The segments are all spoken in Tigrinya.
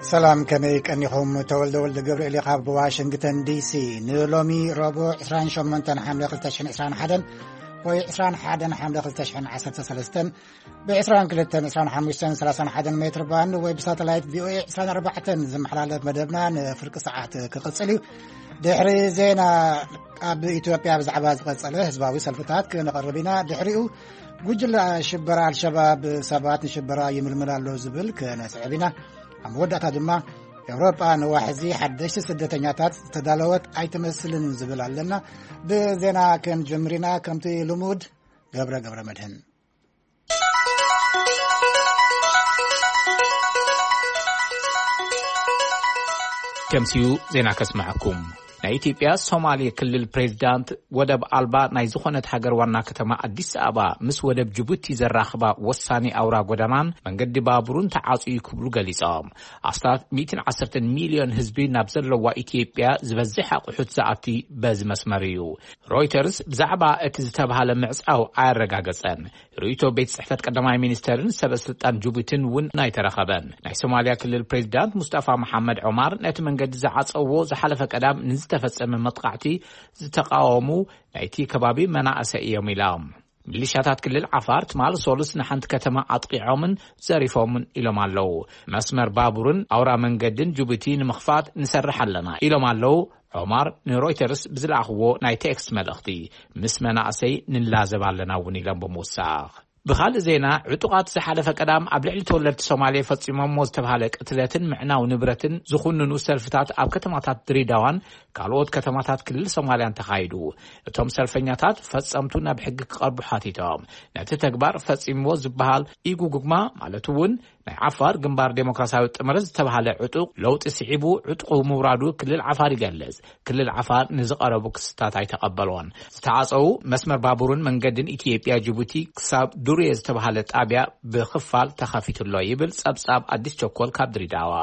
ሰላም፣ ከመይ ቀኒኹም? ተወልደ ወልደ ገብርኤል ካብ ዋሽንግተን ዲሲ። ንሎሚ ረቡዕ ዕስራን ሸሞንተን ሓምለ ክልተ ሽሕን ዕስራን ሓደን ወይ ዕስራን ሓደን ሓምለ ክልተ ሽሕን ዓሰርተ ሰለስተን ብ ዕስራን ክልተን ዕስራን ሓሙሽተን ሰላሳን ሓደን ሜትር ባንድ ወይ ብሳተላይት ቪኦኤ ዕስራን ኣርባዕተን ዝመሓላለፍ መደብና ንፍርቂ ሰዓት ክቕጽል እዩ። ድሕሪ ዜና ኣብ ኢትዮጵያ ብዛዕባ ዝቐጸለ ህዝባዊ ሰልፍታት ክነቕርብ ኢና። ድሕሪኡ ጉጅለ ሽበራ ኣልሸባብ ሰባት ንሽበራ ይምልምል ኣሎ ዝብል ክነስዕብ ኢና። ኣብ መወዳእታ ድማ ኤውሮጳ ንዋሕዚ ሓደሽቲ ስደተኛታት ዝተዳለወት ኣይትመስልን ዝብል ኣለና። ብዜና ክንጅምር ኢና። ከምቲ ልሙድ ገብረ ገብረ መድህን። ከምሲኡ ዜና ከስምዐኩም። ናይ ኢትዮጵያ ሶማሌ ክልል ፕሬዚዳንት ወደብ ኣልባ ናይ ዝኾነት ሃገር ዋና ከተማ ኣዲስ ኣበባ ምስ ወደብ ጅቡቲ ዘራኽባ ወሳኒ ኣውራ ጎዳናን መንገዲ ባቡሩን ተዓጽዩ ክብሉ ገሊጾም። ኣስታት ሚእትን ዓሰርተን ሚልዮን ህዝቢ ናብ ዘለዋ ኢትዮጵያ ዝበዝሕ ኣቑሑት ዝኣቲ በዚ መስመር እዩ። ሮይተርስ ብዛዕባ እቲ ዝተባህለ ምዕጻው ኣያረጋገጸን። ርእይቶ ቤት ጽሕፈት ቀዳማይ ሚኒስተርን ሰበ ስልጣን ጅቡቲን እውን ኣይተረኸበን። ናይ ሶማልያ ክልል ፕሬዚዳንት ሙስጠፋ መሓመድ ዑማር ነቲ መንገዲ ዝዓጸዎ ዝሓለፈ ቀዳም ንዝተፈጸመ መጥቃዕቲ ዝተቃወሙ ናይቲ ከባቢ መናእሰይ እዮም ኢሎም። ሚሊሻታት ክልል ዓፋር ትማል ሶሉስ ንሓንቲ ከተማ ኣጥቂዖምን ዘሪፎምን ኢሎም ኣለዉ። መስመር ባቡርን ኣውራ መንገድን ጅቡቲ ንምኽፋት ንሰርሕ ኣለና ኢሎም ኣለዉ። ዑማር ንሮይተርስ ብዝለኣኽዎ ናይ ቴክስት መልእኽቲ፣ ምስ መናእሰይ ንላዘብ ኣለና እውን ኢሎም ብምውሳኽ። ብኻልእ ዜና፣ ዕጡቓት ዝሓለፈ ቀዳም ኣብ ልዕሊ ተወለድቲ ሶማሌ ፈጺሞሞ ዝተባህለ ቅትለትን ምዕናው ንብረትን ዝኹንኑ ሰልፍታት ኣብ ከተማታት ድሬዳዋን ካልኦት ከተማታት ክልል ሶማልያን ተኻይዱ። እቶም ሰልፈኛታት ፈጸምቱ ናብ ሕጊ ክቐርቡ ሓቲቶም። ነቲ ተግባር ፈጺምዎ ዝበሃል ኢጉጉግማ፣ ማለት እውን ናይ ዓፋር ግንባር ዴሞክራሲያዊ ጥምረት ዝተባህለ ዕጡቕ ለውጢ ስዒቡ ዕጡቑ ምውራዱ ክልል ዓፋር ይገልጽ። ክልል ዓፋር ንዝቐረቡ ክስታት ኣይተቐበልዎን። ዝተዓጸዉ መስመር ባቡርን መንገድን ኢትዮጵያ ጅቡቲ ክሳብ ዱርየ ዝተባህለ ጣብያ ብኽፋል ተኸፊቱ ኣሎ ይብል ጸብጻብ ኣዲስ ቸኮል ካብ ድሬዳዋ።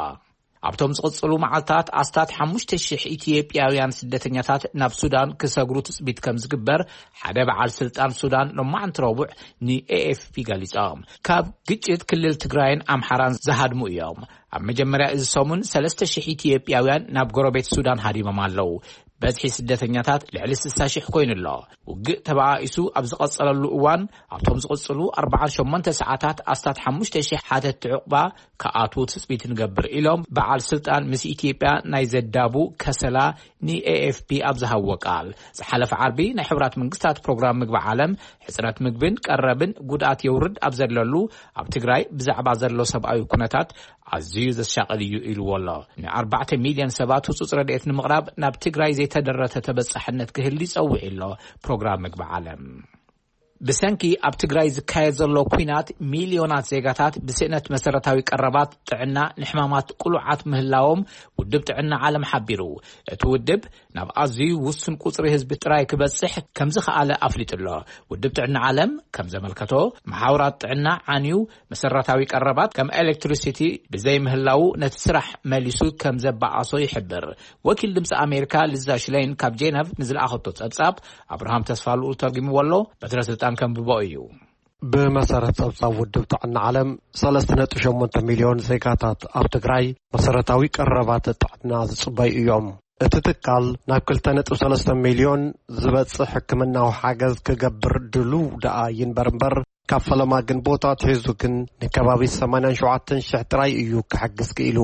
ኣብቶም ዝቕጽሉ መዓልታት ኣስታት ሓሙሽተ ሽሕ ኢትዮጵያውያን ስደተኛታት ናብ ሱዳን ክሰግሩ ትጽቢት ከም ዝግበር ሓደ በዓል ስልጣን ሱዳን ሎማዕንቲ ረቡዕ ንኤኤፍፒ ገሊጾም። ካብ ግጭት ክልል ትግራይን ኣምሓራን ዝሃድሙ እዮም። ኣብ መጀመርያ እዚ ሰሙን ሰለስተ ሽሕ ኢትዮጵያውያን ናብ ጎረቤት ሱዳን ሃዲሞም ኣለዉ። በዝሒ ስደተኛታት ልዕሊ ስሳ ሽሕ ኮይኑ ኣሎ። ውግእ ተበኣኢሱ ኣብ ዝቐጸለሉ እዋን፣ ኣብቶም ዝቕጽሉ ኣርባዓን ሸሞንተ ሰዓታት ኣስታት ሓሙሽተ ሽሕ ሓተትቲ ዕቑባ ክኣትዉ ትጽቢት ንገብር ኢሎም በዓል ስልጣን ምስ ኢትዮጵያ ናይ ዘዳቡ ከሰላ ንኤኤፍፒ ኣብ ዝሃብዎ ቃል። ዝሓለፈ ዓርቢ ናይ ሕቡራት መንግስታት ፕሮግራም ምግቢ ዓለም ሕጽረት ምግብን ቀረብን ጉድኣት የውርድ ኣብ ዘለሉ ኣብ ትግራይ ብዛዕባ ዘሎ ሰብኣዊ ኩነታት ኣዝዩ ዘሻቕል እዩ ኢልዎ ኣሎ። ንኣርባዕተ ሚልዮን ሰባት ህጹጽ ረድኤት ንምቕራብ ናብ ትግራይ ዘይተደረተ ተበጻሕነት ክህሉ ይጸውዕ ኣሎ ፕሮግራም ምግቢ ዓለም። ብሰንኪ ኣብ ትግራይ ዝካየድ ዘሎ ኲናት ሚልዮናት ዜጋታት ብስእነት መሰረታዊ ቀረባት ጥዕና ንሕማማት ቅሉዓት ምህላዎም ውድብ ጥዕና ዓለም ሓቢሩ። እቲ ውድብ ናብ ኣዝዩ ውሱን ቁጽሪ ህዝቢ ጥራይ ክበጽሕ ከም ዝኸኣለ ኣፍሊጡ ኣሎ። ውድብ ጥዕና ዓለም ከም ዘመልከቶ፣ መሓውራት ጥዕና ዓንዩ መሰረታዊ ቀረባት ከም ኤሌክትሪሲቲ ብዘይምህላዉ ነቲ ስራሕ መሊሱ ከም ዘበኣሶ ይሕብር። ወኪል ድምፂ ኣሜሪካ ሊዛ ሽለይን ካብ ጄነቭ ንዝለኣኸቶ ጸብጻብ ኣብርሃም ተስፋ ልኡል ተርጉምዎ ኣሎ። በትረ ስልጣን ከንብቦ እዩ። ብመሰረት ጸብጻብ ውድብ ጥዕና ዓለም፣ ሰለስተ ነጥቢ ሸሞንተ ሚልዮን ዜጋታት ኣብ ትግራይ መሰረታዊ ቀረባት ጥዕና ዝጽበዩ እዮም። እቲ ትካል ናብ ክልተ ነጥቢ ሰለስተ ሚልዮን ዝበጽሕ ሕክምናዊ ሓገዝ ክገብር ድሉው ደኣ ይንበር እምበር፣ ካብ ፈለማ ግንቦት ኣትሒዙ ግን ንከባቢ ሰማንያን ሸውዓተን ሽሕ ጥራይ እዩ ክሕግዝ ክኢሉ።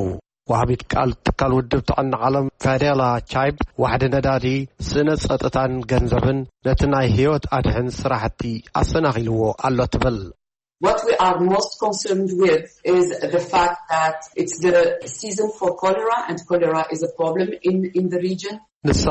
ወሃቢት ቃል ትካል ውድብ ጥዕና ዓለም ፋዴላ ቻይብ፣ ዋሕዲ ነዳዲ፣ ስእነት ጸጥታን ገንዘብን ነቲ ናይ ህይወት ኣድሕን ስራሕቲ ኣሰናኺልዎ ኣሎ ትብል። What we are most concerned with is the fact that it's the season for cholera, and cholera is a problem in, in the region. ንሳ፣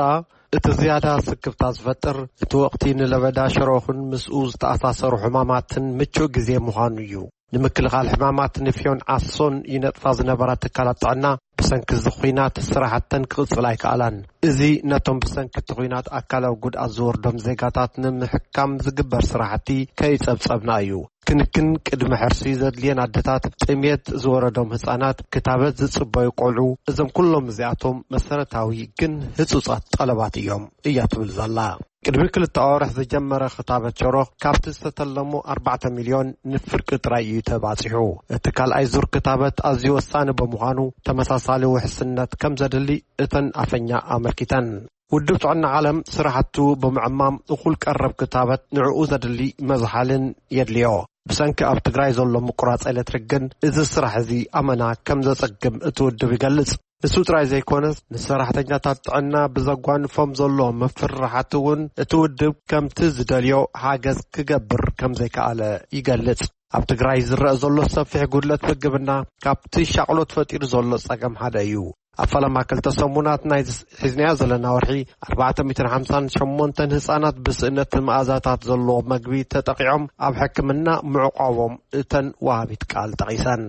እቲ ዝያዳ ስክፍታ ዝፈጥር፣ እቲ ወቕቲ ንለበዳ ሸሮኽን ምስኡ ዝተኣሳሰሩ ሕማማትን ምቹእ ግዜ ምዃኑ እዩ። ንምክልኻል ሕማማት ንፍዮን ዓሶን ይነጥፋ ዝነበራ ትካላት ጥዕና፣ ብሰንኪ እዚ ኹናት ስራሕተን ክቕጽል ኣይከኣላን። እዚ ነቶም ብሰንኪ እቲ ኹናት ኣካላዊ ጉድኣት ዝወርዶም ዜጋታት ንምሕካም ዝግበር ስራሕቲ ከይጸብጸብና እዩ። ክንክን ቅድመ ሕርሲ ዘድልየን ኣደታት፣ ጥሜት ዝወረዶም ህጻናት፣ ክታበት ዝጽበዩ ቆልዑ፣ እዞም ኩሎም እዚኣቶም መሰረታዊ ግን ህጹጻት ጠለባት እዮም እያ ትብል ዘላ። ቅድሚ ክልተ ኣዋርሕ ዝጀመረ ክታበት ሸሮኽ ካብቲ ዝተተለሙ ኣርባዕተ ሚልዮን ንፍርቂ ጥራይ እዩ ተባጺሑ። እቲ ካልኣይ ዙር ክታበት ኣዝዩ ወሳኒ ብምዃኑ ተመሳሳሊ ውሕስነት ከም ዘድሊ እተን ኣፈኛ ኣመልኪተን። ውድብ ጥዕና ዓለም ስራሕቱ ብምዕማም እኹል ቀረብ ክታበት ንዕኡ ዘድሊ መዝሓልን የድልዮ። ብሰንኪ ኣብ ትግራይ ዘሎ ምቁራጽ ኤሌክትሪክ ግን እዚ ስራሕ እዚ ኣመና ከም ዘጸግም እቲ ውድብ ይገልጽ። እሱ ጥራይ ዘይኮነስ ንሰራሕተኛታት ጥዕና ብዘጓንፎም ዘሎ ምፍርራሓት እውን እቲ ውድብ ከምቲ ዝደልዮ ሓገዝ ክገብር ከም ዘይከኣለ ይገልጽ። ኣብ ትግራይ ዝረአ ዘሎ ሰፊሕ ጉድለት ምግብና ካብቲ ሻቕሎት ፈጢሩ ዘሎ ጸገም ሓደ እዩ። ኣብ ፈለማ ክልተ ሰሙናት ናይ ሒዝናዮ ዘለና ወርሒ ኣርባዕተ ሚእትን ሓምሳን ሸሞንተን ህጻናት ብስእነት መኣዛታት ዘለዎ መግቢ ተጠቒዖም ኣብ ሕክምና ምዕቋቦም እተን ወሃቢት ቃል ጠቒሰን።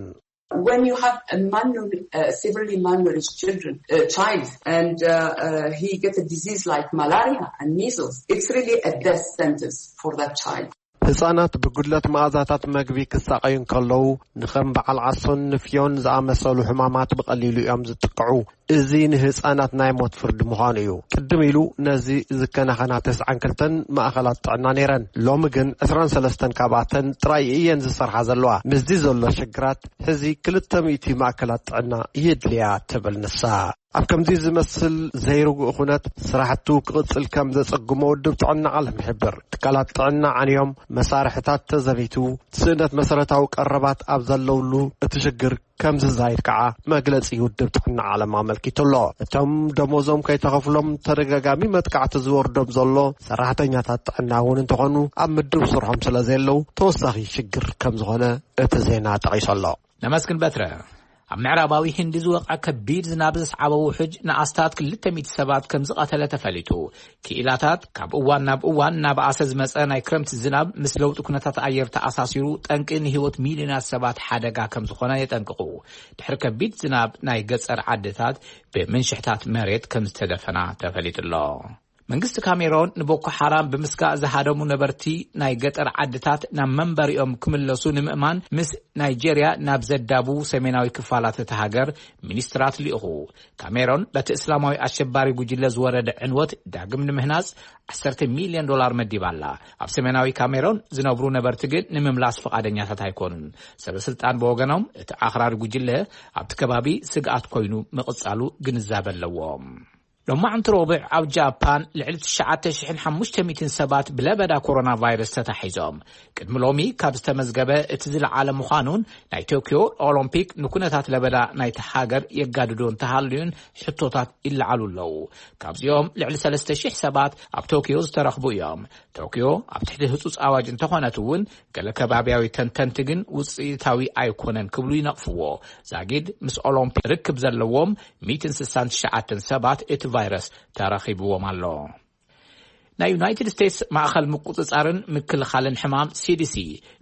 When you have a malnourished, uh, severely malnourished children, uh, child, and uh, uh, he gets a disease like malaria and measles, it's really a death sentence for that child. ህጻናት ብጉድለት መኣዛታት መግቢ ክሳቐዩ እንከለዉ፣ ንኸም በዓል ዓሶን ንፍዮን ዝኣመሰሉ ሕማማት ብቐሊሉ እዮም ዝጥቅዑ። እዚ ንህጻናት ናይ ሞት ፍርዲ ምዃኑ እዩ። ቅድም ኢሉ ነዚ ዝከናኸና ተስዓን ክልተን ማእኸላት ጥዕና ነይረን። ሎሚ ግን ዕስራን ሰለስተን ካብኣተን ጥራይ እየን ዝሰርሓ ዘለዋ። ምስዚ ዘሎ ሽግራት ሕዚ ክልተ ሚእቲ ማእከላት ጥዕና የድልያ ትብል ንሳ። ኣብ ከምዚ ዝመስል ዘይርጉእ ኩነት ስራሕቱ ክቕጽል ከም ዘጸግሞ ውድብ ጥዕና ዓለም ይሕብር። ትካላት ጥዕና ዓንዮም፣ መሳርሕታት ተዘሚቱ፣ ስእነት መሰረታዊ ቀረባት ኣብ ዘለውሉ እቲ ሽግር ከም ዝዛይድ ከዓ መግለጺ ውድብ ጥዕና ዓለም ኣመልኪቱ ኣሎ። እቶም ደሞዞም ከይተኸፍሎም ተደጋጋሚ መጥቃዕቲ ዝወርዶም ዘሎ ሰራሕተኛታት ጥዕና እውን እንተኾኑ ኣብ ምድብ ስርሖም ስለ ዘየለዉ ተወሳኺ ሽግር ከም ዝኾነ እቲ ዜና ጠቒሱ ኣሎ። ነመስግን በትረ። ኣብ ምዕራባዊ ህንዲ ዝወቕዐ ከቢድ ዝናብ ዘስዓቦ ውሑጅ ንኣስታት ክልተ ሚእቲ ሰባት ከም ዝቐተለ ተፈሊጡ። ክኢላታት ካብ እዋን ናብ እዋን እናበኣሰ ዝመጸ ናይ ክረምቲ ዝናብ ምስ ለውጢ ኩነታት ኣየር ተኣሳሲሩ ጠንቂ ንህይወት ሚልዮናት ሰባት ሓደጋ ከም ዝኾነ የጠንቅቑ። ድሕሪ ከቢድ ዝናብ ናይ ገጸር ዓድታት ብምንሽሕታት መሬት ከም ዝተደፈና ተፈሊጡ ኣሎ። መንግስቲ ካሜሮን ንቦኮ ሓራም ብምስጋእ ዝሃደሙ ነበርቲ ናይ ገጠር ዓድታት ናብ መንበሪኦም ክምለሱ ንምእማን ምስ ናይጄርያ ናብ ዘዳቡ ሰሜናዊ ክፋላት እታ ሃገር ሚኒስትራት ልኢኹ። ካሜሮን በቲ እስላማዊ ኣሸባሪ ጉጅለ ዝወረደ ዕንወት ዳግም ንምህናጽ ዓሰርተ ሚልዮን ዶላር መዲባ ኣላ። ኣብ ሰሜናዊ ካሜሮን ዝነብሩ ነበርቲ ግን ንምምላስ ፍቓደኛታት ኣይኮኑን። ሰበስልጣን ብወገኖም እቲ ኣኽራሪ ጉጅለ ኣብቲ ከባቢ ስግኣት ኮይኑ ምቕጻሉ ግንዛበ ኣለዎም። ሎማዕንቲ ረቡዕ ኣብ ጃፓን ልዕሊ ትሽዓተ ሽሕን ሓሙሽተ ሚእትን ሰባት ብለበዳ ኮሮና ቫይረስ ተታሒዞም። ቅድሚ ሎሚ ካብ ዝተመዝገበ እቲ ዝለዓለ ምዃኑን ናይ ቶኪዮ ኦሎምፒክ ንኩነታት ለበዳ ናይቲ ሃገር የጋድዶ እንተሃልዩን ሕቶታት ይለዓሉ ኣለዉ። ካብዚኦም ልዕሊ ሰለስተ ሽሕ ሰባት ኣብ ቶኪዮ ዝተረኽቡ እዮም። ቶኪዮ ኣብ ትሕቲ ህጹጽ ኣዋጅ እንተኾነት እውን ገለ ከባብያዊ ተንተንቲ ግን ውጽኢታዊ ኣይኮነን ክብሉ ይነቕፍዎ። ዛጊድ ምስ ኦሎምፒክ ርክብ ዘለዎም ሚእትን ስሳን ትሽዓተን ሰባት እቲ ቫይረስ ተረኺብዎም ኣሎ። ናይ ዩናይትድ ስቴትስ ማእኸል ምቁጽጻርን ምክልኻልን ሕማም ሲዲሲ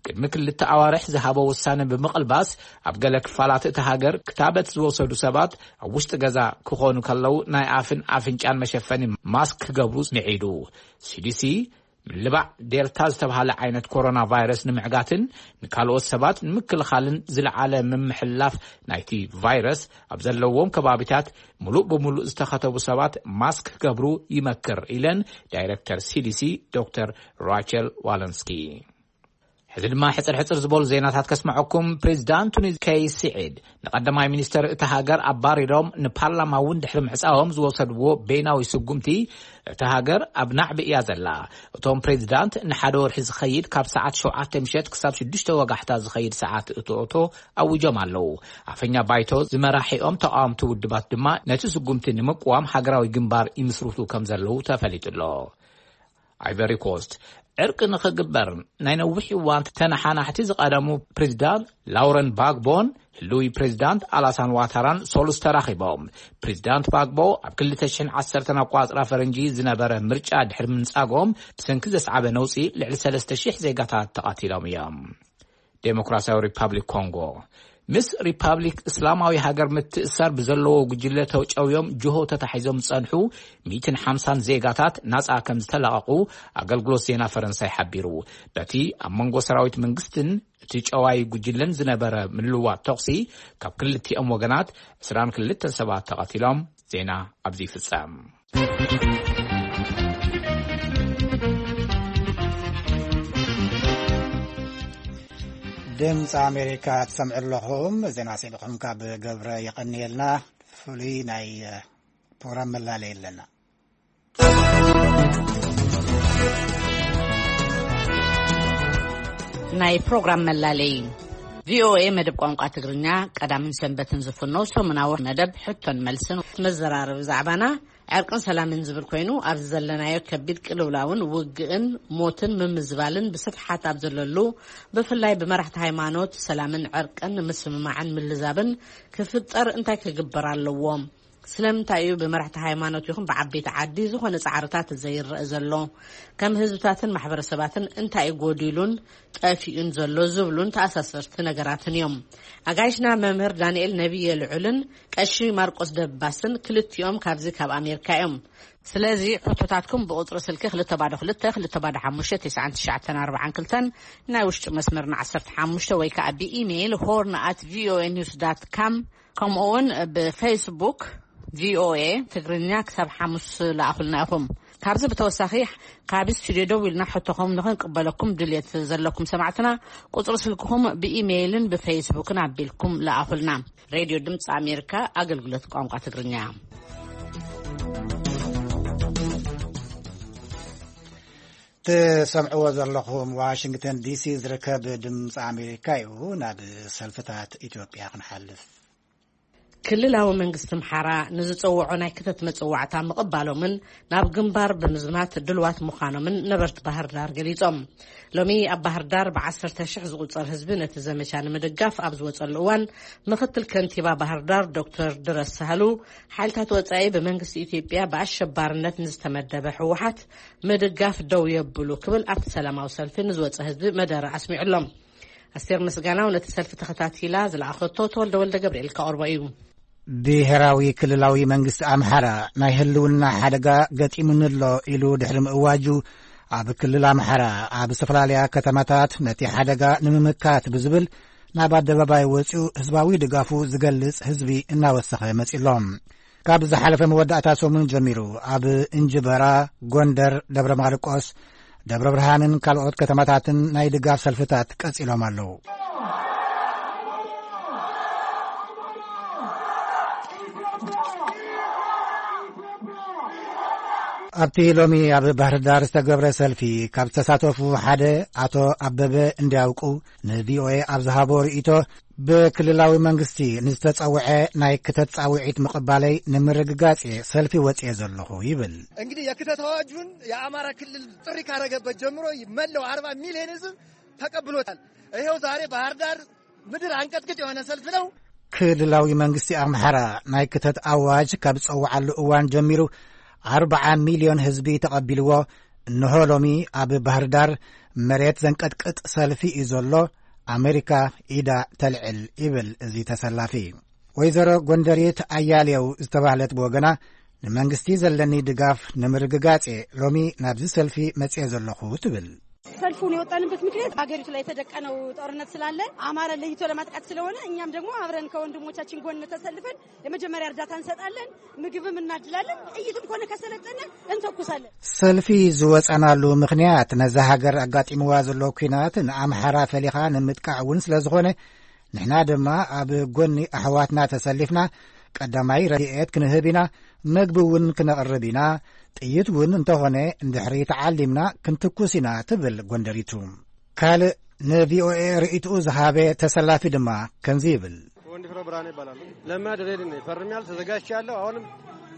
ቅድሚ ክልተ ኣዋርሕ ዝሃቦ ውሳነ ብምቕልባስ ኣብ ገለ ክፋላት እቲ ሃገር ክታበት ዝወሰዱ ሰባት ኣብ ውሽጢ ገዛ ክኾኑ ከለዉ ናይ ኣፍን ኣፍንጫን መሸፈኒ ማስክ ክገብሩ ምዒዱ። ሲዲሲ ምልባዕ ዴልታ ዝተባህለ ዓይነት ኮሮና ቫይረስ ንምዕጋትን ንካልኦት ሰባት ንምክልኻልን ዝለዓለ ምምሕልላፍ ናይቲ ቫይረስ ኣብ ዘለዎም ከባቢታት ምሉእ ብምሉእ ዝተኸተቡ ሰባት ማስክ ክገብሩ ይመክር ኢለን ዳይረክተር ሲዲሲ ዶክተር ራቸል ዋለንስኪ። ሕዚ ድማ ሕፅር ሕፅር ዝበሉ ዜናታት ከስምዐኩም። ፕሬዚዳንት ቱኒዝ ከይስ ስዒድ ንቀዳማይ ሚኒስተር እታ ሃገር ኣባሪሮም ንፓርላማ እውን ድሕሪ ምዕፃዎም ዝወሰድዎ በይናዊ ስጉምቲ እታ ሃገር ኣብ ናዕቢ እያ ዘላ። እቶም ፕሬዚዳንት ንሓደ ወርሒ ዝኸይድ ካብ ሰዓት ሸውዓተ ምሸት ክሳብ ሽዱሽተ ወጋሕታ ዝኸይድ ሰዓት እቶእቶ ኣዊጆም ኣለዉ። ኣፈኛ ባይቶ ዝመራሒኦም ተቃወምቲ ውድባት ድማ ነቲ ስጉምቲ ንምቅዋም ሃገራዊ ግንባር ይምስርቱ ከም ዘለዉ ተፈሊጡ ኣሎ። ኣይቨሪ ኮስት ዕርቂ ንኽግበር ናይ ነዊሕ እዋን ተነሓናሕቲ ዝቐደሙ ፕሬዚዳንት ላውረን ባግቦን ህሉዊ ፕሬዚዳንት ኣላሳን ዋታራን ሶሉስ ተራኺቦም። ፕሬዚዳንት ባግቦ ኣብ ክልተ ሽሕን ዓሰርተን ኣቋጽራ ፈረንጂ ዝነበረ ምርጫ ድሕሪ ምንጻጎም ብሰንኪ ዘስዓበ ነውጺ ልዕሊ ሰለስተ ሽሕ ዜጋታት ተቐቲሎም እዮም። ዴሞክራሲያዊ ሪፓብሊክ ኮንጎ ምስ ሪፓብሊክ እስላማዊ ሃገር ምትእሳር ብዘለዎ ጉጅለ ተጨውዮም ጅሆ ተታሒዞም ዝጸንሑ ሚእትን ሓምሳን ዜጋታት ናጻ ከም ዝተለቐቑ ኣገልግሎት ዜና ፈረንሳይ ሓቢሩ። በቲ ኣብ መንጎ ሰራዊት መንግስትን እቲ ጨዋይ ጉጅለን ዝነበረ ምልዋጥ ተኹሲ፣ ካብ ክልቲኦም ወገናት ዕስራን ክልተን ሰባት ተቐቲሎም። ዜና ኣብዚ ይፍጸም። ድምፂ ኣሜሪካ ትሰምዑ ኣለኹም። ዜና ስኢልኹም ካብ ገብረ የቐንየልና። ፍሉይ ናይ ፕሮግራም መላለይ ኣለና። ናይ ፕሮግራም መላለይ። ቪኦኤ መደብ ቋንቋ ትግርኛ ቀዳምን ሰንበትን ዝፍኖ ሰሙናዊ መደብ ሕቶን መልስን መዘራረቢ ዛዕባና ዕርቅን ሰላምን ዝብል ኮይኑ፣ ኣብዚ ዘለናዮ ከቢድ ቅልውላውን ውግእን ሞትን ምምዝባልን ብስፍሓት ኣብ ዘለሉ፣ ብፍላይ ብመራሕቲ ሃይማኖት ሰላምን ዕርቅን ንምስምማዕን ምልዛብን ክፍጠር እንታይ ክግበር ኣለዎ? ስለምንታይ እዩ ብመራሕቲ ሃይማኖት ይኹን ብዓበይቲ ዓዲ ዝኾነ ጻዕርታት ዘይረአ ዘሎ? ከም ህዝብታትን ማሕበረሰባትን እንታይ እዩ ጎዲሉን ጠፊኡን ዘሎ ዝብሉን ተኣሳሰርቲ ነገራትን እዮም። ኣጋይሽና መምህር ዳንኤል ነቢየ ልዑልን ቀሺ ማርቆስ ደባስን ክልቲኦም ካብዚ ካብ ኣሜሪካ እዮም። ስለዚ ሕቶታትኩም ብቁጽሪ ስልኪ ክልተ ባዶ ክልተ፣ ክልተ ባዶ ሓሙሽተ፣ ትስዓን ትሽዓተን ኣርባዓን ክልተን፣ ናይ ውሽጢ መስመርና ዓሰርተ ሓሙሽተ ወይ ከኣ ብኢሜይል ሆርን ኣት ቪኦኤ ኒውስ ዳት ካም፣ ከምኡ እውን ብፌስቡክ ቪኦኤ ትግርኛ ክሳብ ሓሙስ ለኣኹልና ኢኹም። ካብዚ ብተወሳኺ፣ ካብ ስቱድዮ ደው ኢልና ሕቶኹም ንኽንቅበለኩም ድልየት ዘለኩም ሰማዕትና፣ ቁጽሪ ስልክኹም ብኢሜይልን ብፌስቡክን ኣቢልኩም ለኣኹልና። ሬድዮ ድምፂ ኣሜሪካ፣ ኣገልግሎት ቋንቋ ትግርኛ። ትሰምዕዎ ዘለኹም ዋሽንግተን ዲሲ ዝርከብ ድምፂ ኣሜሪካ እዩ። ናብ ሰልፍታት ኢትዮጵያ ክንሓልፍ። ክልላዊ መንግስቲ ኣምሓራ ንዝጸውዖ ናይ ክተት መጸዋዕታ ምቕባሎምን ናብ ግንባር ብምዝማት ድልዋት ምዃኖምን ነበርቲ ባህር ዳር ገሊጾም። ሎሚ ኣብ ባህር ዳር ብዓሰርተ ሽሕ ዝቑጸር ህዝቢ ነቲ ዘመቻ ንምድጋፍ ኣብ ዝወጸሉ እዋን፣ ምኽትል ከንቲባ ባህር ዳር ዶክተር ድረስ ሳህሉ፣ ሓይልታት ወጻኢ ብመንግስቲ ኢትዮጵያ ብኣሸባርነት ንዝተመደበ ህወሓት ምድጋፍ ደው የብሉ ክብል ኣብቲ ሰላማዊ ሰልፊ ንዝወጸ ህዝቢ መደረ ኣስሚዑ ኣሎ። ኣስቴር ምስጋናው ነቲ ሰልፊ ተኸታቲላ ዝለኣኸቶ ተወልደ ወልደ ገብርኤል ከቕርቦ እዩ። ብሄራዊ ክልላዊ መንግስቲ ኣምሓራ ናይ ህልውና ሓደጋ ገጢሙኒ ኣሎ ኢሉ ድሕሪ ምእዋጁ፣ ኣብ ክልል ኣምሓራ ኣብ ዝተፈላለያ ከተማታት ነቲ ሓደጋ ንምምካት ብዝብል ናብ ኣደባባይ ወፂኡ ህዝባዊ ድጋፉ ዝገልጽ ህዝቢ እናወሰኸ መፂ ኣሎ። ካብ ዝሓለፈ መወዳእታ ሰሙን ጀሚሩ ኣብ እንጅበራ፣ ጎንደር፣ ደብረ ማርቆስ፣ ደብረ ብርሃንን ካልኦት ከተማታትን ናይ ድጋፍ ሰልፍታት ቀጺሎም ኣለዉ። ኣብቲ ሎሚ ኣብ ባህር ዳር ዝተገብረ ሰልፊ ካብ ዝተሳተፉ ሓደ ኣቶ ኣበበ እንዲያውቁ ንቪኦኤ ኣብ ዝሃቦ ርእይቶ፣ ብክልላዊ መንግስቲ ንዝተጸውዐ ናይ ክተት ጻውዒት ምቕባለይ ንምርግጋጽ እየ ሰልፊ ወጽኤ ዘለኹ ይብል። እንግዲህ የክተት አዋጁን የአማራ ክልል ጥሪ ካረገበት ጀምሮ መላው አርባ ሚሊዮን ህዝብ ተቀብሎታል። ይኸው ዛሬ ባህር ዳር ምድር አንቀጥቅጥ የሆነ ሰልፍ ነው። ክልላዊ መንግስቲ ኣምሓራ ናይ ክተት ኣዋጅ ካብ ዝጸውዓሉ እዋን ጀሚሩ ኣርብዓ ሚልዮን ህዝቢ ተቐቢልዎ፣ እንሆ ሎሚ ኣብ ባህር ዳር መሬት ዘንቀጥቅጥ ሰልፊ እዩ ዘሎ፣ ኣሜሪካ ኢዳ ተልዕል ይብል እዚ ተሰላፊ። ወይዘሮ ጎንደሪት ኣያሌው ዝተባህለት ብወገና፣ ንመንግስቲ ዘለኒ ድጋፍ ንምርግጋጽ እየ ሎሚ ናብዚ ሰልፊ መጽየ ዘለኹ ትብል። ሰልፉን የወጣንበት ምክንያት ሀገሪቱ ላይ የተደቀነው ጦርነት ስላለ አማራ ለይቶ ለማጥቃት ስለሆነ እኛም ደግሞ አብረን ከወንድሞቻችን ጎን ተሰልፈን የመጀመሪያ እርዳታ እንሰጣለን፣ ምግብም እናድላለን፣ ጥይትም ከሆነ ከሰለጠነ እንተኩሳለን። ሰልፊ ዝወጸናሉ ምክንያት ነዛ ሃገር ኣጋጢምዋ ዘሎ ኲናት ንኣምሓራ ፈሊኻ ንምጥቃዕ እውን ስለ ዝኾነ፣ ንሕና ድማ ኣብ ጎኒ ኣሕዋትና ተሰሊፍና ቀዳማይ ረድኤት ክንህብ ኢና፣ መግቢ እውን ክነቕርብ ኢና፣ ጥይት እውን እንተኾነ እንድሕሪ ተዓሊምና ክንትኩስ ኢና ትብል ጎንደሪቱ። ካልእ ንቪኦኤ ርእይትኡ ዝሃበ ተሰላፊ ድማ ከምዚ ይብል። ወንድፍረው ብርሃኔ ይባላሉ። ለማ ድሬድ ነኝ። ፈርሜያለሁ፣ ተዘጋጅቻለሁ። አሁንም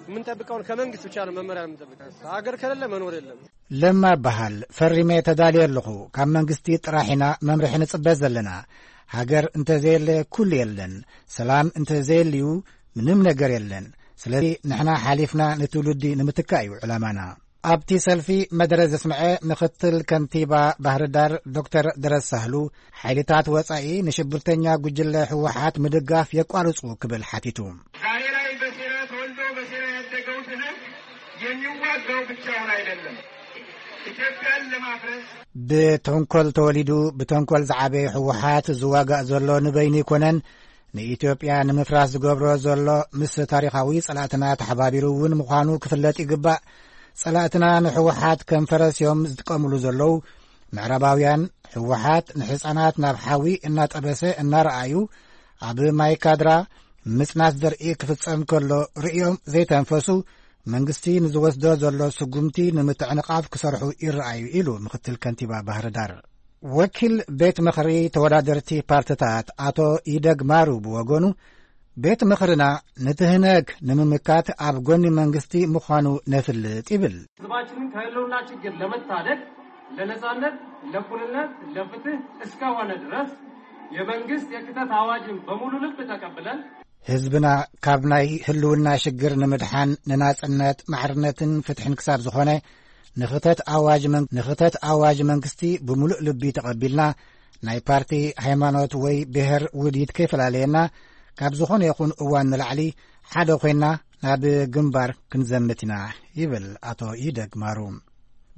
የምንጠብቀውን ከመንግስት ብቻ ነው መመሪያ የምንጠብቀው። ሀገር ከሌለ መኖር የለም። ለማ እበሃል፣ ፈሪመ ተዳልየ ኣለኹ። ካብ መንግስቲ ጥራሕ ኢና መምርሒ ንጽበ ዘለና። ሃገር እንተዘየለ ኩሉ የለን። ሰላም እንተዘየልዩ ምንም ነገር የለን። ስለዚ ንሕና ሓሊፍና ንትውልዲ ንምትካእ እዩ ዕላማና። ኣብቲ ሰልፊ መደረ ዘስምዐ ምኽትል ከንቲባ ባህርዳር ዶክተር ደረስ ሳህሉ፣ ሓይልታት ወጻኢ ንሽብርተኛ ጉጅለ ህወሓት ምድጋፍ የቋርጹ ክብል ሓቲቱ። ዛሬ ላይ በሴራ ተወልዶ በሴራ ያደገው ትህነግ የሚዋጋው ብቻውን አይደለም። ኢትዮጵያን ለማፍረስ ብተንኮል ተወሊዱ ብተንኮል ዝዓበየ ህወሓት ዝዋጋእ ዘሎ ንበይኑ ኣይኮነን። ንኢትዮጵያ ንምፍራስ ዝገብሮ ዘሎ ምስ ታሪኻዊ ጸላእትና ተሓባቢሩ እውን ምዃኑ ክፍለጥ ይግባእ። ጸላእትና ንህወሓት ከም ፈረስ እዮም ዝጥቀምሉ ዘለዉ። ምዕራባውያን ህወሓት ንሕጻናት ናብ ሓዊ እናጠበሰ እናረኣዩ፣ ኣብ ማይ ካድራ ምጽናት ዘርኢ ክፍጸም ከሎ ርእዮም ዘይተንፈሱ፣ መንግስቲ ንዝወስዶ ዘሎ ስጉምቲ ንምትዕንቓፍ ክሰርሑ ይረኣዩ ኢሉ ምኽትል ከንቲባ ባህርዳር። ወኪል ቤት ምኽሪ ተወዳደርቲ ፓርትታት ኣቶ ይደግ ማሩ ብወገኑ፣ ቤት ምኽርና ንትህነግ ንምምካት ኣብ ጎኒ መንግስቲ ምዃኑ ነፍልጥ ይብል። ህዝባችንን ከህልውና ችግር ለመታደግ፣ ለነጻነት፣ ለእኩልነት፣ ለፍትህ እስከሆነ ድረስ የመንግስት የክተት አዋጅን በሙሉ ልብ ተቀብለን፣ ህዝብና ካብ ናይ ህልውና ሽግር ንምድሓን፣ ንናጽነት፣ ማዕርነትን ፍትሕን ክሳብ ዝኾነ፣ ንኽተት ኣዋጅ መን-፣ ንኽተት ኣዋጅ መንግስቲ ብምሉእ ልቢ ተቐቢልና፣ ናይ ፓርቲ፣ ሃይማኖት ወይ ብሔር ውዲት ከይፈላለየና፣ ካብ ዝኾነ ይኹን እዋን ንላዕሊ ሓደ ኮይና ናብ ግንባር ክንዘምት ኢና ይብል ኣቶ ይደግ ማሩ።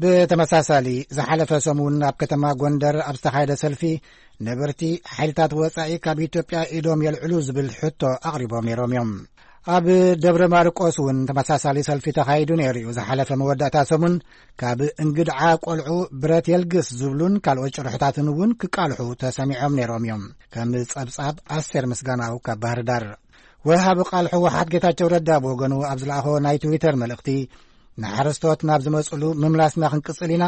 ብተመሳሳሊ፣ ዝሓለፈ ሰሙን ኣብ ከተማ ጎንደር ኣብ ዝተኻየደ ሰልፊ፣ ነበርቲ ሓይልታት ወጻኢ ካብ ኢትዮጵያ ኢዶም የልዕሉ ዝብል ሕቶ ኣቕሪቦም ነይሮም እዮም። ኣብ ደብረ ማርቆስ እውን ተመሳሳሊ ሰልፊ ተኻይዱ ነይሩ እዩ። ዝሓለፈ መወዳእታ ሰሙን፣ ካብ እንግድዓ ቆልዑ ብረት የልግስ ዝብሉን ካልኦት ጭርሕታትን እውን ክቃልሑ ተሰሚዖም ነይሮም እዮም። ከም ጸብጻብ ኣስቴር ምስጋናው ካብ ባህር ዳር። ወሃቢ ቃል ህወሓት ጌታቸው ረዳ ብወገኑ ኣብ ዝለኣኾ ናይ ትዊተር መልእኽቲ፣ ንሓረስቶት ናብ ዝመጽሉ ምምላስና ክንቅጽል ኢና።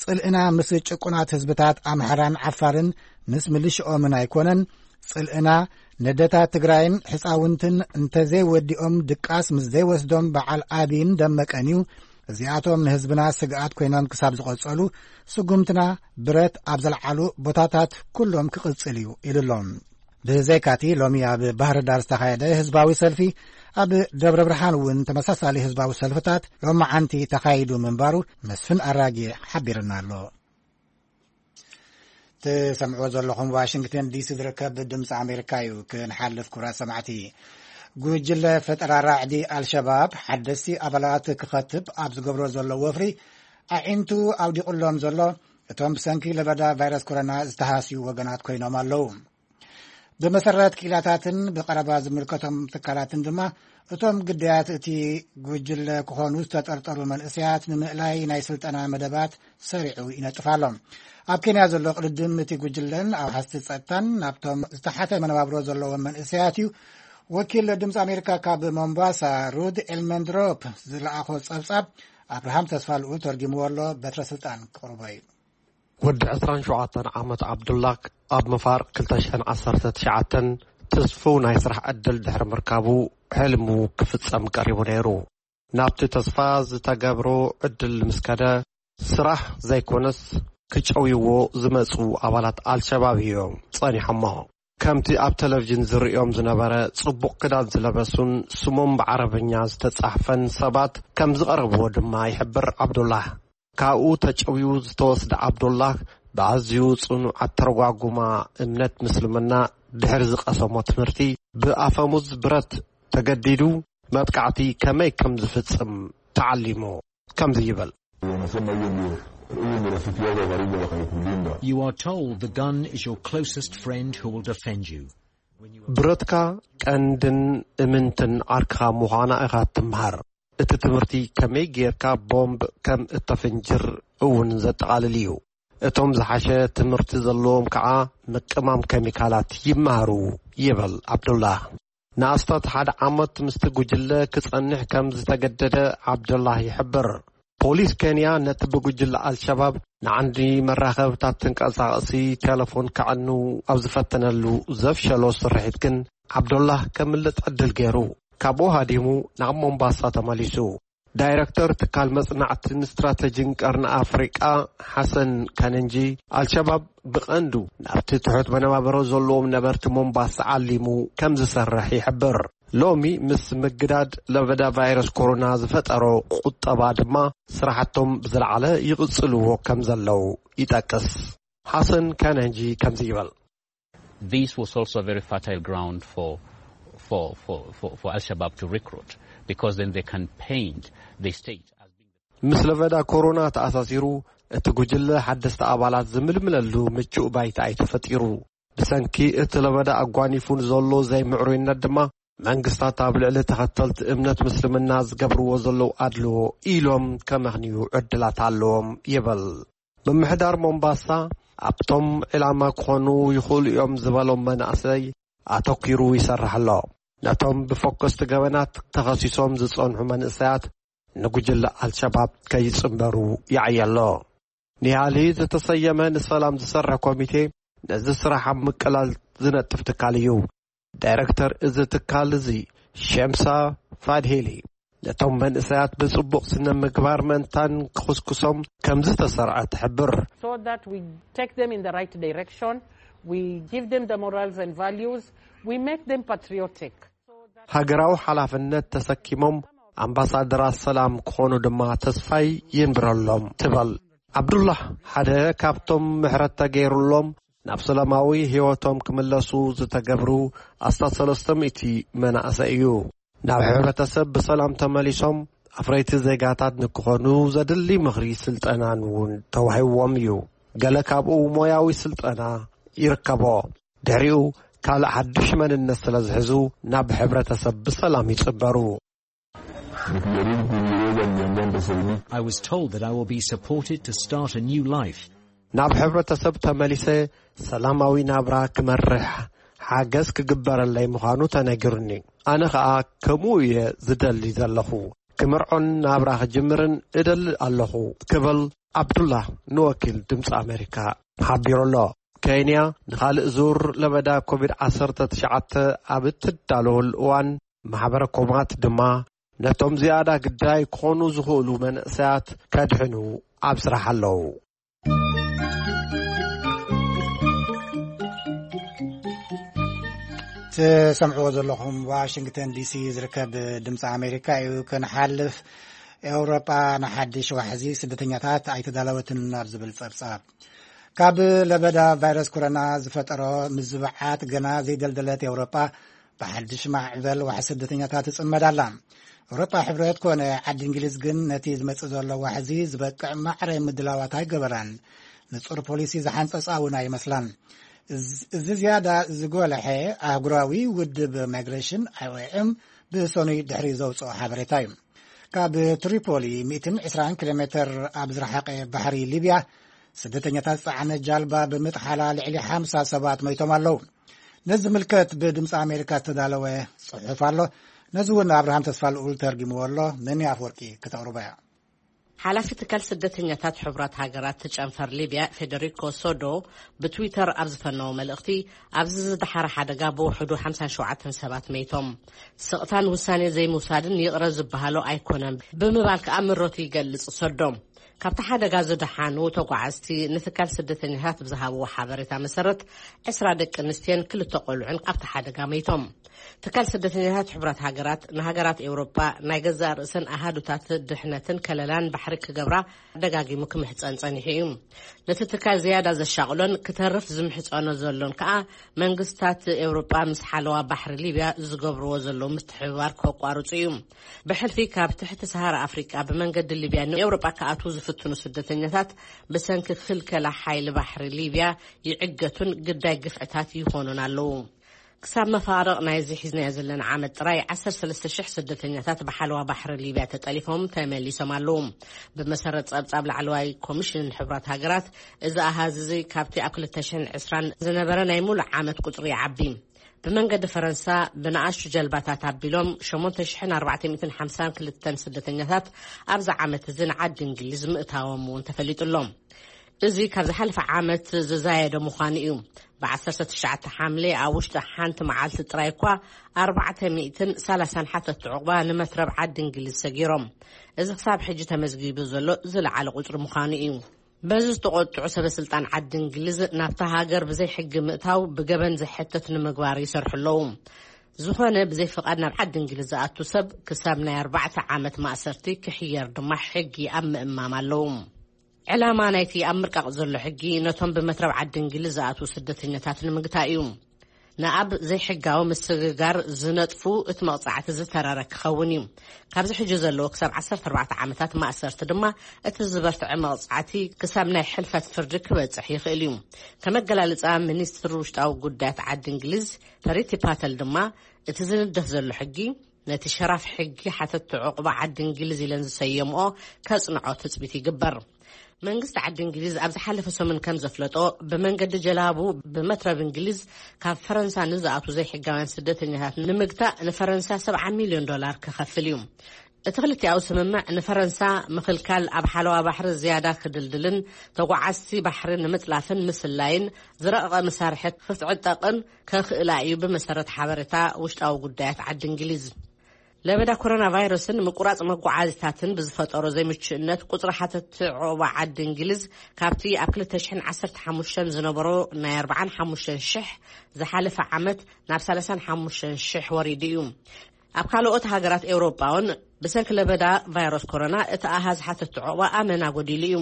ጽልእና ምስ ጭቁናት ህዝብታት ኣምሓራን ዓፋርን ምስ ምልሽኦምን ኣይኮነን። ጽልእና ነደታት ትግራይን ሕፃውንትን እንተዘይወዲኦም ድቃስ ምስ ዘይወስዶም በዓል ኣብይን ደመቀን እዩ። እዚኣቶም ንህዝብና ስግኣት ኮይኖም ክሳብ ዝቐጸሉ፣ ስጉምትና ብረት ኣብ ዘልዓሉ ቦታታት ኩሎም ክቕጽል እዩ ኢሉ ኣሎ። ብዘይካቲ ሎሚ ኣብ ባህር ዳር ዝተኻየደ ህዝባዊ ሰልፊ፣ ኣብ ደብረ ብርሃን እውን ተመሳሳሊ ህዝባዊ ሰልፍታት ሎማዓንቲ ተኻይዱ ምንባሩ መስፍን ኣራጌ ሓቢርና ኣሎ። ትሰምዕዎ ዘለኹም ዋሽንግተን ዲሲ ዝርከብ ድምፂ ኣሜሪካ እዩ። ክንሓልፍ ክቡራት ሰማዕቲ፣ ጉጅለ ፈጠራ ራዕዲ ኣልሸባብ ሓደስቲ ኣባላት ክኸትብ ኣብ ዝገብሮ ዘሎ ወፍሪ ኣዒንቱ ኣውዲቑሎም ዘሎ እቶም ብሰንኪ ለበዳ ቫይረስ ኮሮና ዝተሃስዩ ወገናት ኮይኖም ኣለዉ። ብመሰረት ክኢላታትን ብቐረባ ዝምልከቶም ትካላትን ድማ፣ እቶም ግዳያት እቲ ጉጅለ ክኾኑ ዝተጠርጠሩ መንእሰያት ንምእላይ ናይ ስልጠና መደባት ሰሪዑ ይነጥፍ ኣሎ። ኣብ ኬንያ ዘሎ ቅድድም እቲ ጉጅለን ኣውሓስቲ ጸጥታን ናብቶም ዝተሓተ መነባብሮ ዘለዎም መንእሰያት እዩ። ወኪል ድምፂ ኣሜሪካ ካብ ሞምባሳ ሩድ ኤልመንድሮፕ ዝለኣኾ ጸብጻብ፣ ኣብርሃም ተስፋ ልኡል ተርጊምዎ ኣሎ። በትረ ስልጣን ክቕርቦ እዩ። ወዲ ዕስራን ሸውዓተን ዓመት ዓብዱላክ ኣብ ምፋር ክልተ ሽሕን ዓሰርተ ትሽዓተን ተስፍው ናይ ስራሕ ዕድል ድሕሪ ምርካቡ፣ ሕልሙ ክፍጸም ቀሪቡ ነይሩ። ናብቲ ተስፋ ዝተገብሮ ዕድል ምስ ከደ፣ ስራሕ ዘይኮነስ ክጨውይዎ ዝመጹ ኣባላት ኣልሸባብ እዮም ጸኒሖሞ። ከምቲ ኣብ ቴሌቪዥን ዝርእዮም ዝነበረ ጽቡቕ ክዳን ዝለበሱን ስሞም ብዓረብኛ ዝተጻሕፈን ሰባት ከም ዝቐረብዎ ድማ ይሕብር ዓብዱላህ። ካብኡ ተጨውዩ ዝተወስደ ዓብዱላህ ብኣዝዩ ጽኑዕ ኣተረጓጉማ እምነት ምስልምና ድሕሪ ዝቐሰሞ ትምህርቲ ብኣፈሙዝ ብረት ተገዲዱ መጥቃዕቲ ከመይ ከም ዝፍጽም ተዓሊሙ ከምዚ ይብል። Wanasema hiyo ndio, hiyo ndio rafiki yako wa karibu wa karibu kulinda. You are told the gun is your closest friend who will defend you. ብረትካ ቀንድን እምንትን ዓርክኻ ምዃና ኢኻ ትምሃር። እቲ ትምህርቲ ከመይ ጌርካ ቦምብ ከም እተፍንጅር እውን ዘጠቓልል እዩ። እቶም ዝሓሸ ትምህርቲ ዘለዎም ከኣ ምቅማም ኬሚካላት ይመሃሩ ይብል ዓብዱላህ። ንኣስታት ሓደ ዓመት ምስቲ ጉጅለ ክጸንሕ ከም ዝተገደደ ዓብዱላህ ይሕብር። ፖሊስ ኬንያ ነቲ ብጉጅለ ኣልሸባብ ንዓንዲ መራኸብታት ተንቀሳቐሲ ቴሌፎን ከዕኑ ኣብ ዝፈተነሉ ዘፍሸሎ ስርሒት ግን ዓብዱላህ ከምልጥ ዕድል ገይሩ ካብኡ ሃዲሙ ናብ ሞምባሳ ተመሊሱ። ዳይረክተር ትካል መጽናዕትን ስትራተጂን ቀርኒ ኣፍሪቃ ሓሰን ካነንጂ፣ ኣልሸባብ ብቐንዱ ናብቲ ትሑት መነባብሮ ዘለዎም ነበርቲ ሞምባሳ ዓሊሙ ከም ዝሰርሕ ይሕብር። ሎሚ ምስ ምግዳድ ለበዳ ቫይረስ ኮሮና ዝፈጠሮ ቁጠባ ድማ ስራሕቶም ብዝለዓለ ይቕጽልዎ ከም ዘለዉ ይጠቅስ። ሓሰን ካነንጂ ከምዚ ይብል። This was also a very fertile ground for for for for, for Al Shabaab to recruit, because then they can paint the state as being ምስ ለበዳ ኮሮና ተኣሳሲሩ፣ እቲ ጉጅለ ሓደስቲ ኣባላት ዝምልምለሉ ምቹእ ባይታ እዩ ተፈጢሩ። ብሰንኪ እቲ ለበዳ ኣጓኒፉ ንዘሎ ዘይምዕሩይነት ድማ፣ መንግስታት ኣብ ልዕሊ ተኸተልቲ እምነት ምስልምና ዝገብርዎ ዘለዉ ኣድልዎ ኢሎም ከመኽንዩ ዕድላት ኣለዎም ይብል። ምምሕዳር ሞምባሳ ኣብቶም ዕላማ ክኾኑ ይኽእሉ እዮም ዝበሎም መናእሰይ ኣተኲሩ ይሰርሕ ኣሎ። ነቶም ብፈኮስቲ ገበናት ተኸሲሶም ዝጸንሑ መንእሰያት ንጉጅለ ኣልሸባብ ከይጽንበሩ ይዓየ ኣሎ። ኒሃሊ ዝተሰየመ ንሰላም ዝሰርሕ ኮሚቴ ነዚ ስራሕ ኣብ ምቅላል ዝነጥፍ ትካል እዩ። ዳይረክተር እዚ ትካል እዚ ሸምሳ ፋድሄሊ ነቶም መንእሰያት ብጽቡቕ ስነ ምግባር ምእንታን ክኹስኩሶም ከም ዝተሰርዐ ትሕብር። So that we take them in the right direction, we give them the morals and values, we make them patriotic. ሃገራዊ ሓላፍነት ተሰኪሞም ኣምባሳደራት ሰላም ክኾኑ ድማ ተስፋይ ይንብረሎም ትበል። ዓብዱላህ ሓደ ካብቶም ምሕረት ተገይሩሎም ናብ ሰላማዊ ህይወቶም ክምለሱ ዝተገብሩ ኣስታት ሰለስተ ሚእቲ መናእሰይ እዩ። ናብ ሕብረተሰብ ብሰላም ተመሊሶም ኣፍረይቲ ዜጋታት ንክኾኑ ዘድሊ ምኽሪ ስልጠናን እውን ተዋሂብዎም እዩ። ገለ ካብኡ ሞያዊ ስልጠና ይርከቦ። ድሕሪኡ ካልእ ሓድሽ መንነት ስለ ዝሕዙ ናብ ሕብረተሰብ ብሰላም ይጽበሩ። I was told that I will be supported to start a new life. ናብ ሕብረተሰብ ተመሊሰ ሰላማዊ ናብራ ክመርሕ ሓገዝ ክግበረለይ ምዃኑ ተነጊሩኒ። ኣነ ኸኣ ከምኡ እየ ዝደሊ ዘለኹ። ክምርዖን ናብራ ክጅምርን እደሊ ኣለኹ ክብል ዓብዱላህ ንወኪል ድምፂ ኣሜሪካ ሓቢሩ ኣሎ። ኬንያ ንኻልእ ዙር ለበዳ ኮቪድ ዓሰርተ ትሽዓተ ኣብ እትዳለወሉ እዋን ማሕበረ ኮማት ድማ ነቶም ዝያዳ ግዳይ ክኾኑ ዝኽእሉ መንእሰያት ከድሕኑ ኣብ ስራሕ ኣለዉ። ትሰምዕዎ ዘለኹም ዋሽንግተን ዲሲ ዝርከብ ድምፂ ኣሜሪካ እዩ። ክንሓልፍ፣ ኤውሮጳ ንሓድሽ ዋሕዚ ስደተኛታት ኣይተዳለወትን ኣብ ዝብል ጸብጻብ፣ ካብ ለበዳ ቫይረስ ኮሮና ዝፈጠሮ ምዝብዓት ገና ዘይደልደለት ኤውሮጳ ብሓድሽ ማዕበል ዋሕዚ ስደተኛታት ትጽመድ ኣላ። ኤውሮጳ ሕብረት ኮነ ዓዲ እንግሊዝ ግን ነቲ ዝመጽእ ዘሎ ዋሕዚ ዝበቅዕ ማዕረ ምድላዋት ኣይገበራን። ንጹር ፖሊሲ ዝሓንጸጻ እውን ኣይመስላን። እዚ ዝያዳ ዝጎልሐ ኣህጉራዊ ውድብ ማይግሬሽን ኣይኦኤም ብሰኑይ ድሕሪ ዘውፅኦ ሓበሬታ እዩ። ካብ ትሪፖሊ ሚእትን ዕስራን ኪሎ ሜትር ኣብ ዝረሓቐ ባሕሪ ሊብያ ስደተኛታት ዝፀዓነ ጃልባ ብምጥሓላ ልዕሊ ሓምሳ ሰባት መይቶም ኣለዉ። ነዚ ዝምልከት ብድምፂ ኣሜሪካ ዝተዳለወ ፅሑፍ ኣሎ። ነዚ እውን ኣብርሃም ተስፋ ልኡል ተርጊምዎ ኣሎ። ነኒ ኣፍወርቂ ክተቕርቦ እያ። ሓላፊ ትካል ስደተኛታት ሕቡራት ሃገራት ጨንፈር ሊብያ ፌደሪኮ ሶዶ ብትዊተር ኣብ ዝፈነዎ መልእኽቲ፣ ኣብዚ ዝደሓረ ሓደጋ ብውሕዱ ሓምሳን ሸውዓተን ሰባት መይቶም። ስቕታን ውሳኔ ዘይምውሳድን ይቕረ ዝበሃሎ ኣይኮነን ብምባል ከኣ ምረቱ ይገልጽ። ሶዶ ካብቲ ሓደጋ ዝደሓኑ ተጓዓዝቲ ንትካል ስደተኛታት ብዝሃብዎ ሓበሬታ መሰረት፣ ዕስራ ደቂ ኣንስትዮን ክልተ ቆልዑን ኣብቲ ሓደጋ መይቶም። ትካል ስደተኛታት ሕቡራት ሃገራት ንሃገራት ኤውሮጳ ናይ ገዛእ ርእሰን ኣሃዱታት ድሕነትን ከለላን ባሕሪ ክገብራ ደጋጊሙ ክምሕጸን ጸኒሑ እዩ። ነቲ ትካል ዝያዳ ዘሻቕሎን ክተርፍ ዝምሕጸኖ ዘሎን ከኣ መንግስታት ኤውሮጳ ምስ ሓለዋ ባሕሪ ሊብያ ዝገብርዎ ዘለዉ ምትሕብባር ከቋርጹ እዩ። ብሕልፊ ካብ ትሕቲ ሰሃራ ኣፍሪቃ ብመንገዲ ሊብያ ንኤውሮጳ ክኣትዉ ዝፍትኑ ስደተኛታት ብሰንኪ ክልከላ ሓይሊ ባሕሪ ሊብያ ይዕገቱን ግዳይ ግፍዕታት ይኾኑን ኣለዉ። ክሳብ መፋርቕ ናይዚ ሒዝናዮ ዘለና ዓመት ጥራይ ዓሰርተ ሰለስተ ሽሕ ስደተኛታት ብሓለዋ ባሕሪ ሊብያ ተጠሊፎም ተመሊሶም ኣለዉ። ብመሰረት ጸብጻብ ላዕለዋይ ኮሚሽን ሕቡራት ሃገራት፣ እዚ ኣሃዝ እዚ ካብቲ ኣብ ክልተ ሽሕን ዕስራን ዝነበረ ናይ ሙሉእ ዓመት ቁጽሪ ይዓቢ። ብመንገዲ ፈረንሳ ብንኣሽቱ ጀልባታት ኣቢሎም ሸሞንተ ሽሕን ኣርባዕተ ሚእትን ሓምሳን ክልተን ስደተኛታት ኣብዚ ዓመት እዚ ንዓዲ እንግሊዝ ምእታዎም እውን ተፈሊጡ ኣሎ። እዚ ካብ ዝሓለፈ ዓመት ዝዛየደ ምዃኑ እዩ። ብ ዓሰርተ ትሽዓተ ሓምሌ ኣብ ውሽጢ ሓንቲ መዓልቲ ጥራይ እኳ ኣርባዕተ ሚእትን ሰላሳን ሓተትቲ ዑቕባ ንመትረብ ዓዲ እንግሊዝ ሰጊሮም። እዚ ክሳብ ሕጂ ተመዝጊቡ ዘሎ ዝለዓለ ቁጽሪ ምዃኑ እዩ። በዚ ዝተቖጥዑ ሰበ ስልጣን ዓዲ እንግሊዝ ናብታ ሃገር ብዘይ ሕጊ ምእታው ብገበን ዘሕትት ንምግባር ይሰርሑ ኣለዉ። ዝኾነ ብዘይ ፍቓድ ናብ ዓዲ እንግሊዝ ዝኣቱ ሰብ ክሳብ ናይ ኣርባዕተ ዓመት ማእሰርቲ ክሕየር ድማ ሕጊ ኣብ ምእማም ኣለዉ። ዕላማ ናይቲ ኣብ ምርቃቕ ዘሎ ሕጊ ነቶም ብመትረብ ዓዲ እንግሊዝ ዝኣትዉ ስደተኛታት ንምግታእ እዩ። ንኣብ ዘይሕጋዊ ምስግጋር ዝነጥፉ እቲ መቕጻዕቲ ዝተረረ ክኸውን እዩ። ካብዚ ሕጂ ዘለዎ ክሳብ ዓሰርተ ኣርባዕተ ዓመታት ማእሰርቲ ድማ እቲ ዝበርትዐ መቕጻዕቲ ክሳብ ናይ ሕልፈት ፍርዲ ክበጽሕ ይኽእል እዩ። ከመገላልጻ፣ ሚኒስትር ውሽጣዊ ጉዳያት ዓዲ እንግሊዝ ፕሪቲ ፓተል ድማ እቲ ዝንደፍ ዘሎ ሕጊ ነቲ ሸራፍ ሕጊ ሓተቲ ዕቑባ ዓዲ እንግሊዝ ኢለን ዝሰየምኦ ከጽንዖ ትጽቢት ይግበር። መንግስቲ ዓዲ እንግሊዝ ኣብ ዝሓለፈ ሰሙን ከም ዘፍለጦ፣ ብመንገዲ ጀላቡ ብመትረብ እንግሊዝ ካብ ፈረንሳ ንዝኣቱ ዘይሕጋውያን ስደተኛታት ንምግታእ ንፈረንሳ ሰብዓ ሚልዮን ዶላር ክኸፍል እዩ። እቲ ክልቲኣዊ ስምምዕ ንፈረንሳ ምኽልካል ኣብ ሓለዋ ባሕሪ ዝያዳ ክድልድልን ተጓዓዝቲ ባሕሪ ንምጥላፍን ምስላይን ዝረቐቐ መሳርሒ ክትዕጠቕን ከኽእላ እዩ፣ ብመሰረት ሓበሬታ ውሽጣዊ ጉዳያት ዓዲ እንግሊዝ። ለበዳ ኮሮና ቫይረስን ምቁራጽ መጓዓዝታትን ብዝፈጠሮ ዘይምቹእነት፣ ቁጽሪ ሓተቲ ዑቕባ ዓዲ እንግሊዝ ካብቲ ኣብ ክልተ ሽሕን ዓሰርተ ሓሙሽተን ዝነበሮ ናይ ኣርባዓን ሓሙሽተን ሽሕ ዝሓለፈ ዓመት ናብ ሰላሳን ሓሙሽተን ሽሕ ወሪዱ እዩ። ኣብ ካልኦት ሃገራት ኤውሮጳ እውን ብሰንኪ ለበዳ ቫይረስ ኮሮና እቲ ኣሃዝ ሓተቲ ዑቕባ ኣመና ጎዲሉ እዩ።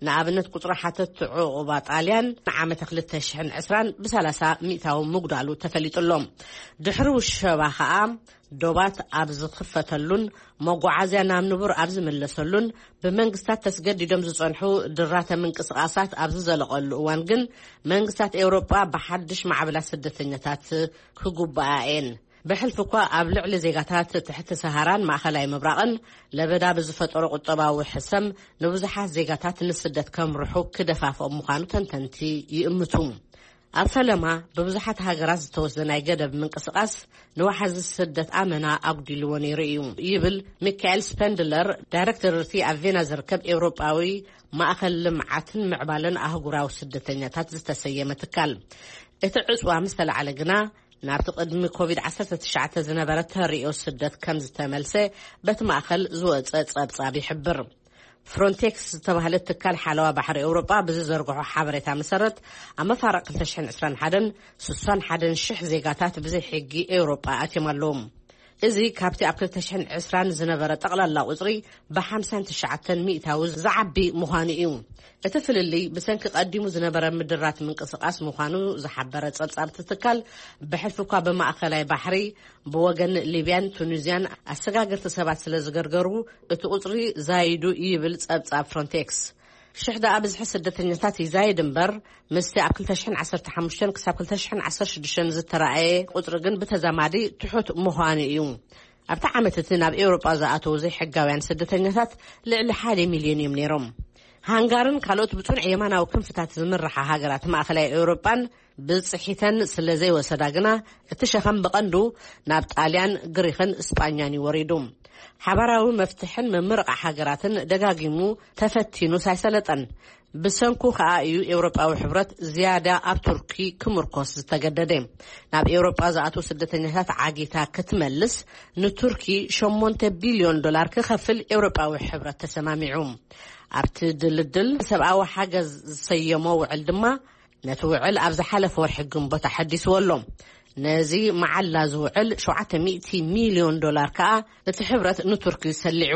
ንኣብነት፣ ቁጽሪ ሓተቲ ዑቕባ ጣልያን ንዓመተ ክልተ ሽሕን ዕስራን ብሰላሳ ሚእታዊ ምጉዳሉ ተፈሊጡ ኣሎ። ድሕሪ ውሸባ ከኣ፣ ዶባት ኣብ ዝኽፈተሉን መጓዓዝያ ናብ ንቡር ኣብ ዝምለሰሉን፣ ብመንግስታት ተስገዲዶም ዝጸንሑ ድራተ ምንቅስቓሳት ኣብ ዝዘለቐሉ እዋን ግን፣ መንግስታት ኤውሮጳ ብሓድሽ ማዕበላት ስደተኛታት ክጉብኣ እየን። ብሕልፊ እኳ ኣብ ልዕሊ ዜጋታት ትሕቲ ሰሃራን ማእኸላይ ምብራቕን ለበዳ ብዝፈጠሮ ቁጠባዊ ሕሰም፣ ንብዙሓት ዜጋታት ንስደት ከምርሑ ክደፋፍኦም ምዃኑ ተንተንቲ ይእምቱ። ኣብ ፈለማ፣ ብብዙሓት ሃገራት ዝተወስደ ናይ ገደብ ምንቅስቓስ ንዋሕዚ ስደት ኣመና ኣጉዲልዎ ነይሩ እዩ፣ ይብል ሚካኤል ስፐንድለር፣ ዳይሬክተር እቲ ኣብ ቬና ዝርከብ ኤውሮጳዊ ማእኸል ልምዓትን ምዕባለን ኣህጉራዊ ስደተኛታት ዝተሰየመ ትካል። እቲ ዕጽዋ ምስ ተላዕለ ግና፣ ናብቲ ቅድሚ ኮቪድ ዓሰርተ ትሽዓተ ዝነበረ ተርእዮ ስደት ከም ዝተመልሰ በቲ ማእኸል ዝወጸ ጸብጻብ ይሕብር። ፍሮንቴክስ ዝተባህለ ትካል ሓለዋ ባሕሪ ኤውሮጳ ብዝዘርግሖ ሓበሬታ መሰረት፣ ኣብ መፋርቕ ክልተ ሽሕን ዕስራን ሓደን ስሳን ሓደን ሽሕ ዜጋታት ብዘይ ሕጊ ኤውሮጳ ኣትዮም ኣለዉ። እዚ ካብቲ ኣብ ክልተ ሽሕን ዕስራን ዝነበረ ጠቕላላ ቁጽሪ ብሓምሳን ትሽዓተን ሚእታዊ ዝዓቢ ምዃኑ እዩ። እቲ ፍልልይ ብሰንኪ ቀዲሙ ዝነበረ ምድራት ምንቅስቓስ ምዃኑ ዝሓበረ ጸብጻብ እቲ ትካል፣ ብሕልፊ እኳ ብማእከላይ ባሕሪ ብወገን ሊብያን ቱኒዝያን ኣሰጋገርቲ ሰባት ስለ ዝገርገሩ፣ እቲ ቁጽሪ ዛይዱ ይብል ጸብጻብ ፍሮንቴክስ። ሽሕ ደኣ ብዝሒ ስደተኛታት ይዛይድ እምበር፣ ምስቲ ኣብ ክልተ ሽሕን ዓሰርተ ሓሙሽተን ክሳብ ክልተ ሽሕን ዓሰርተ ሽዱሽተን ዝተራእየ ቁጽሪ ግን ብተዛማዲ ትሑት ምዃኑ እዩ። ኣብቲ ዓመት እቲ ናብ ኤውሮጳ ዝኣተዉ ዘይሕጋውያን ስደተኛታት ልዕሊ ሓደ ሚልዮን እዮም ነይሮም። ሃንጋርን ካልኦት ብጽኑዕ የማናዊ ክንፍታት ዝምርሓ ሃገራት ማእከላይ ኤውሮጳን ብጽሒተን ስለ ዘይወሰዳ ግና፣ እቲ ሸኸም ብቐንዱ ናብ ጣልያን፣ ግሪኽን ስጳኛን እዩ ወሪዱ። ሓባራዊ መፍትሕን ምምርቓ ሃገራትን ደጋጊሙ ተፈቲኑ ሳይሰለጠን። ብሰንኩ ከኣ እዩ ኤውሮጳዊ ሕብረት ዝያዳ ኣብ ቱርኪ ክምርኮስ ዝተገደደ። ናብ ኤውሮጳ ዝኣትዉ ስደተኛታት ዓጊታ ክትመልስ ንቱርኪ ሸሞንተ ቢልዮን ዶላር ክኸፍል ኤውሮጳዊ ሕብረት ተሰማሚዑ። ኣብቲ ድልድል ሰብኣዊ ሓገዝ ዝሰየሞ ውዕል ድማ ነቲ ውዕል ኣብ ዝሓለፈ ወርሒ ግንቦት ኣሐዲስዎ ኣሎ። ነዚ መዓላ ዝውዕል ሸውዓተ ሚእቲ ሚልዮን ዶላር ከኣ እቲ ሕብረት ንቱርኪ ሰሊዑ።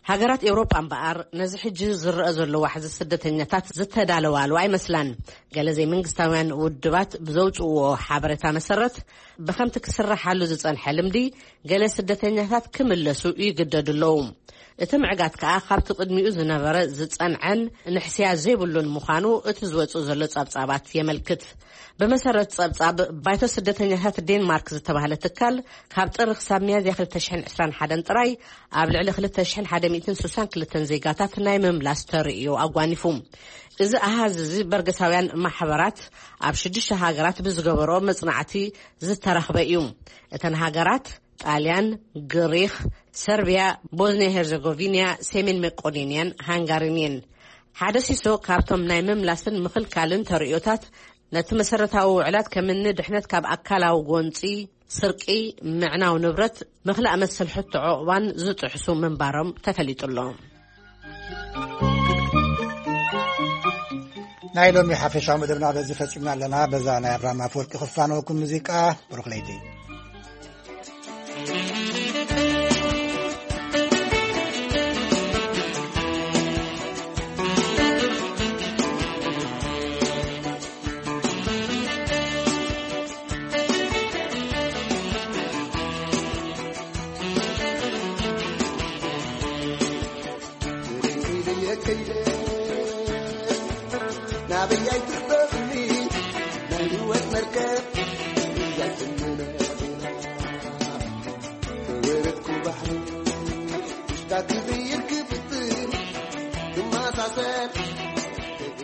ሃገራት ኤውሮጳ እምበኣር ነዚ ሕጂ ዝረአ ዘሎ ዋሕዚ ስደተኛታት ዝተዳለዋሉ ኣይመስላን። ገለ ዘይመንግስታውያን ውድባት ብዘውጽእዎ ሓበሬታ መሰረት፣ ብኸምቲ ክስረሓሉ ዝጸንሐ ልምዲ፣ ገለ ስደተኛታት ክምለሱ ይግደዱ ኣለዉ። እቲ ምዕጋት ከኣ ካብቲ ቅድሚኡ ዝነበረ ዝጸንዐን ንሕስያ ዘይብሉን ምዃኑ እቲ ዝወጽእ ዘሎ ጸብጻባት የመልክት። ብመሰረት ጸብጻብ ባይቶ ስደተኛታት ዴንማርክ ዝተባህለ ትካል፣ ካብ ጥሪ ክሳብ ሚያዝያ ክልተ ሽሕን ዕስራን ሓደን ጥራይ ኣብ ልዕሊ ክልተ ሽሕን ሓደ ሚእትን ስሳን ክልተን ዜጋታት ናይ ምምላስ ተርእዮ ኣጓኒፉ። እዚ ኣሃዝ እዚ በርገሳውያን ማሕበራት ኣብ ሽዱሽተ ሃገራት ብዝገበሮ መጽናዕቲ ዝተረኽበ እዩ። እተን ሃገራት ጣልያን፣ ግሪኽ፣ ሰርቢያ፣ ቦዝኒያ ሄርዘጎቪንያ፣ ሰሜን መቄዶንያን ሃንጋሪን እየን። ሓደ ሲሶ ካብቶም ናይ ምምላስን ምኽልካልን ተርእዮታት፣ ነቲ መሰረታዊ ውዕላት ከምኒ ድሕነት ካብ ኣካላዊ ጎንጺ፣ ስርቂ፣ ምዕናው ንብረት፣ ምኽላእ መሰል ሕቶ ዕቑባን ዝጥሕሱ ምንባሮም ተፈሊጡ ኣሎ። ናይ ሎሚ ሓፈሻዊ መደብና በዚ ፈጺምና ኣለና። በዛ ናይ ኣብርሃም ኣፈወርቂ ክፋነወኩም ሙዚቃ፣ ብሩኽ ለይቲ። ኣበይ ኣይትርበብኒ ናይ ህይወት መርከብ